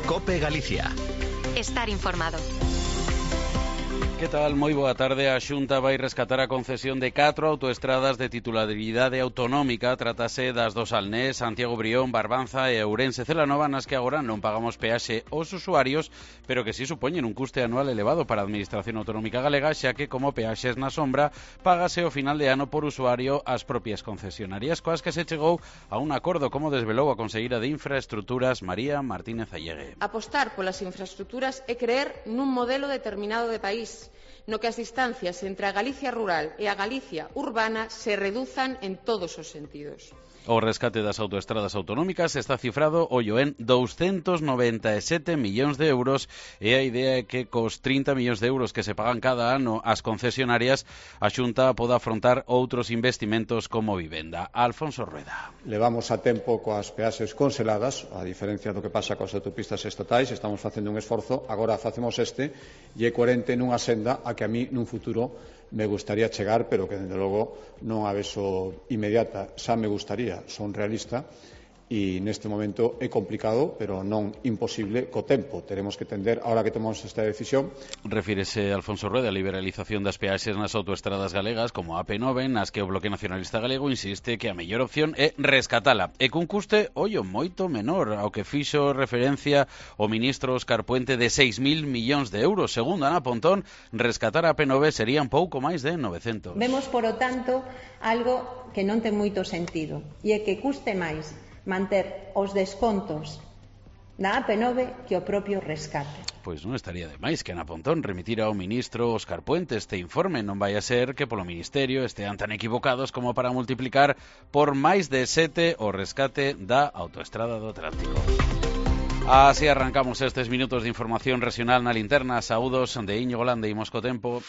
COPE Galicia. Estar informado. Que tal? Moi boa tarde. A Xunta vai rescatar a concesión de 4 autoestradas de titularidade autonómica. Trátase das do Salnés, Santiago Brión, Barbanza e Ourense Celanova, nas que agora non pagamos peaxe aos usuarios, pero que si supoñen un custe anual elevado para a Administración Autonómica Galega, xa que como peaxes na sombra, págase ao final de ano por usuario ás propias concesionarias, coas que se chegou a un acordo, como desvelou a conselleira de Infraestruturas, María Martínez Allegue. Apostar polas infraestruturas é creer nun modelo determinado de país, no que as distancias entre a Galicia rural e a Galicia urbana se reduzan en todos os sentidos. O rescate das autoestradas autonómicas está cifrado ollo en 297 millóns de euros e a idea é que cos 30 millóns de euros que se pagan cada ano ás concesionarias a Xunta poda afrontar outros investimentos como vivenda. Alfonso Rueda. Levamos a tempo coas peaxes conseladas, a diferencia do que pasa coas autopistas estatais, estamos facendo un esforzo, agora facemos este e é coherente nunha senda a que a mí nun futuro me gustaría chegar, pero que, dende logo, non a vexo inmediata. Xa me gustaría, son realista, e neste momento é complicado, pero non imposible co tempo. Teremos que tender, ahora que tomamos esta decisión. Refírese Alfonso Rueda a liberalización das peaxes nas autoestradas galegas como a AP9, nas que o Bloque Nacionalista Galego insiste que a mellor opción é rescatala, e cun custe, ollo, moito menor, ao que fixo referencia o ministro Óscar Puente de 6.000 millóns de euros. Segundo Ana Pontón, rescatar a AP9 serían pouco máis de 900. Vemos, por o tanto, algo que non ten moito sentido, e é que custe máis manter os descontos da AP9 que o propio rescate. Pois non estaría de máis que Ana Pontón remitira ao ministro Óscar Puente este informe. Non vai a ser que polo Ministerio estean tan equivocados como para multiplicar por máis de 7 o rescate da autoestrada do Atlántico. Así arrancamos estes minutos de información regional na linterna. Saúdos de Íñigo Lande e Mosco Tempo.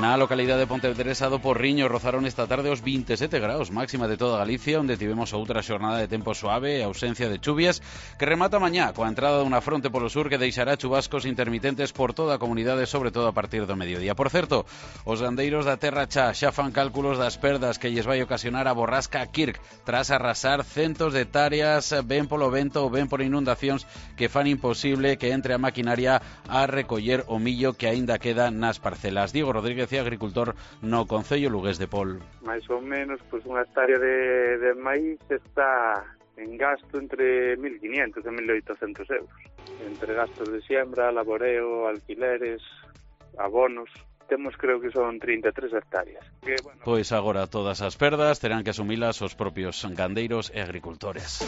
Na localidade de Pontevedresa do Porriño rozaron esta tarde os 27 graus, máxima de toda Galicia, onde tivemos outra xornada de tempo suave e ausencia de chuvias, que remata mañá coa entrada dunha fronte polo sur que deixará chubascos intermitentes por toda a comunidade, sobre todo a partir do mediodía. Por certo, os gandeiros da Terra Chá xa fan cálculos das perdas que lles vai ocasionar a borrasca Kirk, tras arrasar centos de hectáreas, ben polo vento ou ben por inundacións que fan imposible que entre a maquinaria a recoller o millo que aínda queda nas parcelas. Diego Rodríguez, agricultor no concello lugués de Pol. Mais ou menos, pois unha hectárea de maíz está en gasto entre 1.500 e 1.800 euros. Entre gastos de siembra, laboreo, alquileres, abonos, temos creo que son 33 hectáreas. Que, bueno... Pois agora todas as perdas terán que asumilas os propios gandeiros e agricultores.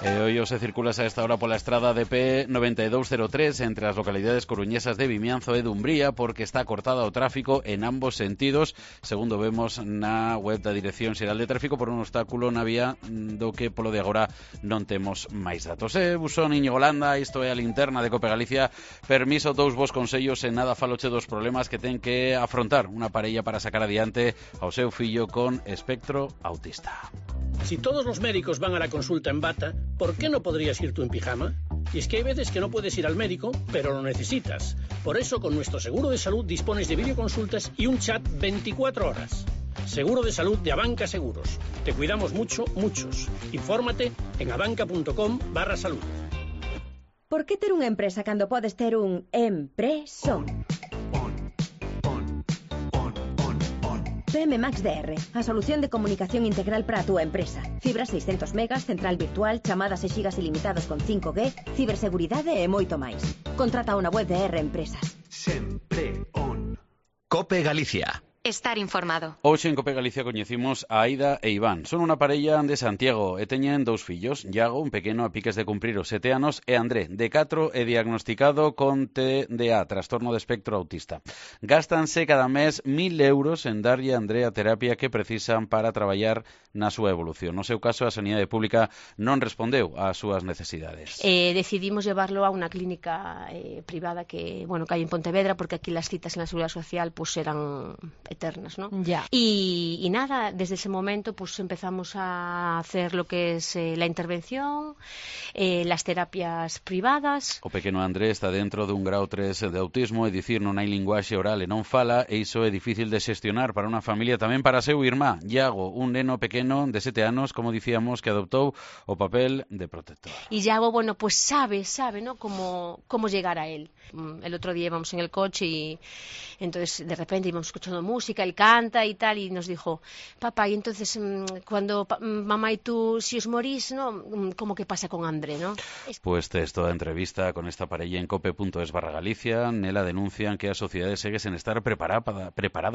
E hoy se circulas a esta hora pola estrada de P9203 entre as localidades coruñesas de Vimianzo e Dumbría porque está cortada o tráfico en ambos sentidos, segundo vemos na web da Dirección Xeral de Tráfico, por un obstáculo na vía do que polo de agora non temos máis datos. Busón Íñigo Landa, isto é a linterna de COPE Galicia. Permiso, dous vos consellos, en nada faloche dos problemas que ten que afrontar unha parella para sacar adiante ao seu fillo con espectro autista. Si todos los médicos van a la consulta en bata, ¿por qué no podrías ir tú en pijama? Y es que hay veces que no puedes ir al médico, pero lo necesitas. Por eso, con nuestro seguro de salud dispones de videoconsultas y un chat 24 horas. Seguro de salud de Abanca Seguros. Te cuidamos mucho, muchos. Infórmate en abanca.com/salud. Por que ter unha empresa cando podes ter un empreso? PM Max DR, a solución de comunicación integral para a túa empresa. Fibra 600 megas, central virtual, chamadas e xigas ilimitados con 5G, ciberseguridade e moito máis. Contrata unha web de R Empresas. Sempre on. COPE Galicia. Estar informado. Hoxe en COPE Galicia coñecimos a Aida e Iván. Son unha parella de Santiago e teñen dous fillos. Iago, un pequeno a piques de cumprir os 7 anos, e André, de 4 e diagnosticado con TDA, trastorno de espectro autista. Gástanse cada mes 1.000 euros en darlle a André a terapia que precisan para traballar na súa evolución. No seu caso, a Sanidade Pública non respondeu ás súas necesidades. Decidimos llevarlo a unha clínica privada que hai en Pontevedra, porque aquí las citas en la Seguridad Social pues eran eternas, ¿no? Ya. Y nada, desde ese momento pues empezamos a hacer lo que es la intervención, las terapias privadas. O pequeno André está dentro dun grau 3 de autismo, é dicir, non hai linguaxe oral e non fala, e iso é difícil de xestionar para unha familia, tamén para seu irmá, Iago, un neno pequeno de 7 anos, como dicíamos, que adoptou o papel de protector. Y Iago, bueno, pues sabe, ¿no? Cómo llegar a él. El otro día íbamos en el coche y entonces de repente íbamos escuchando música, él canta y tal, y nos dijo, papá, y entonces cuando mamá y tú, si os morís, ¿no? ¿Cómo que pasa con André, no? Pues tes toda a entrevista con esta parella en cope.es/Galicia. Nela denuncian que a sociedade segue sen estar preparada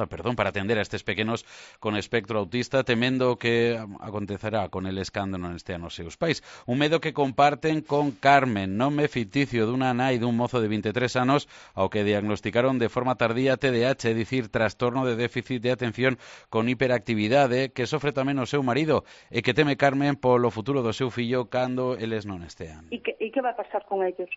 para atender a estes pequenos con espectro autista, temendo que acontecerá con el escándalo neste ano seus pais. Un medo que comparten con Carmen, nome ficticio dunha nai dun mozo de 23 anos ao que diagnosticaron de forma tardía TDAH, é dicir, trastorno de déficit de atención con hiperactividade, que sofre tamén o seu marido e que teme Carmen polo futuro do seu fillo cando eles non estean. ¿Y qué va a pasar con ellos?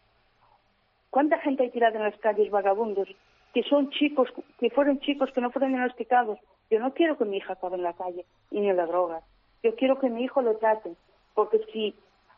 ¿Cuánta gente hay tirada en las calles, vagabundos, que son chicos, que fueron chicos que no fueron diagnosticados? Yo no quiero que mi hija acabe en la calle y ni en la droga. Yo quiero que mi hijo lo traten, porque si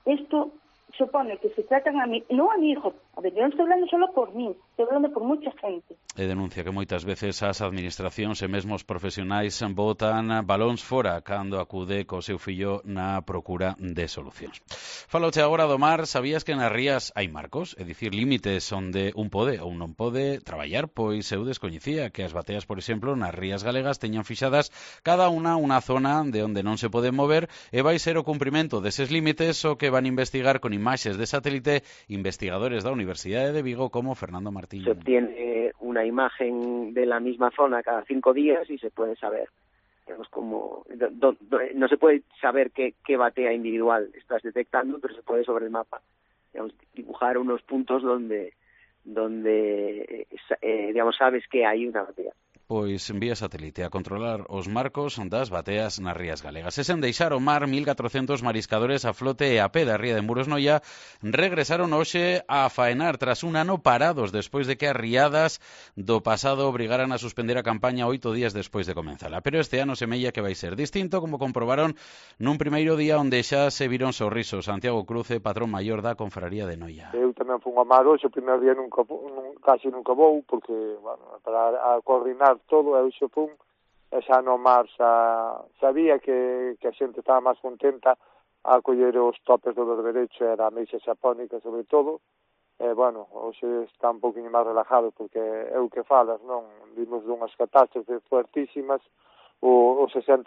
esto supone que se tratan a mí, no a mi hijo, a ver, yo no estoy hablando solo por mí, estoy hablando por mucha gente. E denuncia que moitas veces as administracións e mesmo os profesionais botan balóns fora cando acude co seu fillo na procura de solucións. Faloche agora do mar, sabías que nas rías hai marcos, é dicir, límites onde un pode ou non pode traballar? Pois eu descoñecía que as bateas, por exemplo, nas rías galegas teñan fixadas cada unha zona de onde non se pode mover e vai ser o cumprimento deses límites o que van investigar con imaxes de satélite investigadores da Universidade de Vigo como Fernando Martín. Se obtiene una imagen de la misma zona cada 5 días y se puede saber, digamos, como no se puede saber qué batea individual estás detectando, pero se puede sobre el mapa, digamos, dibujar unos puntos donde digamos, sabes que hay una batea. Pois envía satélite a controlar os marcos das bateas nas rías galegas. E sen deixar o mar, 1.400 mariscadores a flote e a pé da ría de Muros Noia regresaron hoxe a faenar tras un ano parados despois de que as riadas do pasado obrigaran a suspender a campaña 8 días despois de comenzala. Pero este ano semella que vai ser distinto, como comprobaron nun primeiro día onde xa se viron sorrisos. Santiago Cruce, patrón maior da Confraría de Noia. Eu tamén fui a mar hoxe, o primeiro día casi nunca vou, porque, bueno, para coordinar todo, eu xe fun, e xa no mar sabía que a xente estaba máis contenta a coller os topes do berberecho, era a meixa xapónica sobre todo, e, bueno, hoxe está un poquinho máis relajado, porque é o que falas, non? Vimos dunhas catástrofes fuertísimas, o 60%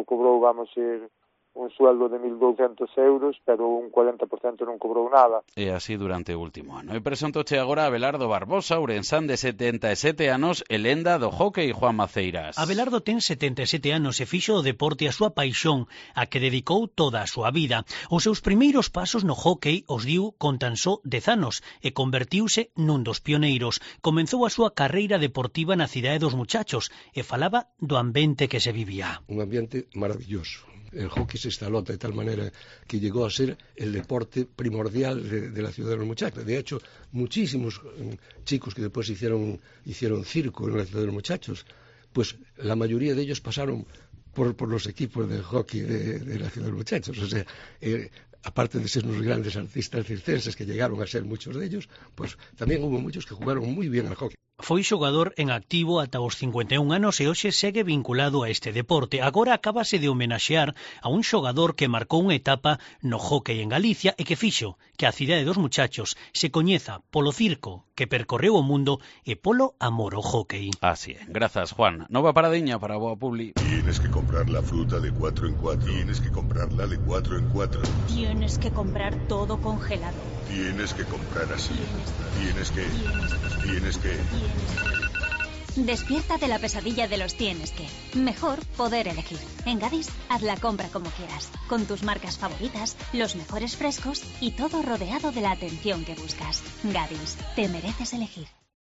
cobrou, vamos ir, un sueldo de 1.200 euros, pero un 40% non cobrou nada. E así durante o último ano. E presentoche agora a Abelardo Barbosa, ourensán de 77 anos e lenda do hockey, Juan Maceiras. Abelardo ten 77 anos e fixo o deporte a súa paixón, a que dedicou toda a súa vida. Os seus primeiros pasos no hockey os diu con tan só 10 anos e convertiuse nun dos pioneiros. Comenzou a súa carreira deportiva na Cidade dos Muchachos e falaba do ambiente que se vivía. Un ambiente maravilloso. El hockey se instaló de tal manera que llegó a ser el deporte primordial de la ciudad de los muchachos. De hecho, muchísimos chicos que después hicieron circo en la ciudad de los muchachos, pues la mayoría de ellos pasaron por los equipos de hockey de la ciudad de los muchachos. O sea, aparte de ser unos grandes artistas circenses que llegaron a ser muchos de ellos, pues también hubo muchos que jugaron muy bien al hockey. Foi xogador en activo ata os 51 anos e hoxe segue vinculado a este deporte. Agora acábase de homenaxear a un xogador que marcou unha etapa no hockey en Galicia e que fixo que a Cidade dos Muchachos se coñeza polo circo que percorreu o mundo e polo amor ao hockey. Así é. Grazas, Juan. Nova paradiña para Boa Publi. Tienes que comprar la fruta de 4 en 4. Tienes que comprarla de 4 en 4. Tienes que comprar todo congelado. Tienes que comprar así. Tienes que. Despierta de la pesadilla de los tienes que. Mejor poder elegir. En Gadis, haz la compra como quieras, con tus marcas favoritas, los mejores frescos y todo rodeado de la atención que buscas. Gadis, te mereces elegir.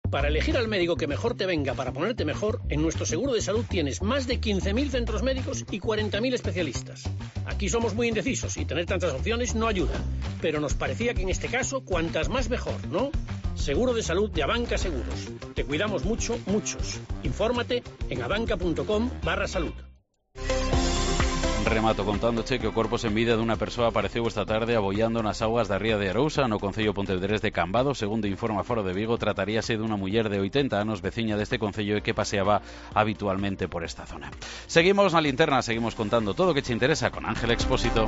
Para elegir al médico que mejor te venga para ponerte mejor, en nuestro seguro de salud tienes más de 15.000 centros médicos y 40.000 especialistas. Aquí somos muy indecisos y tener tantas opciones no ayuda, pero nos parecía que en este caso cuantas más mejor, ¿no? Seguro de salud de Abanca Seguros. Te cuidamos mucho, muchos. Infórmate en abanca.com/salud. Remato contándoche que o corpo sen vida dunha persoa apareceu esta tarde aboiando nas augas da ría de Arousa, no concello pontevedrés de Cambados. Segundo informa Foro de Vigo, trataríase dunha muller de 80 anos, veciña deste concello e que paseaba habitualmente por esta zona. Seguimos na linterna, seguimos contando todo o que che interesa con Ángel Expósito.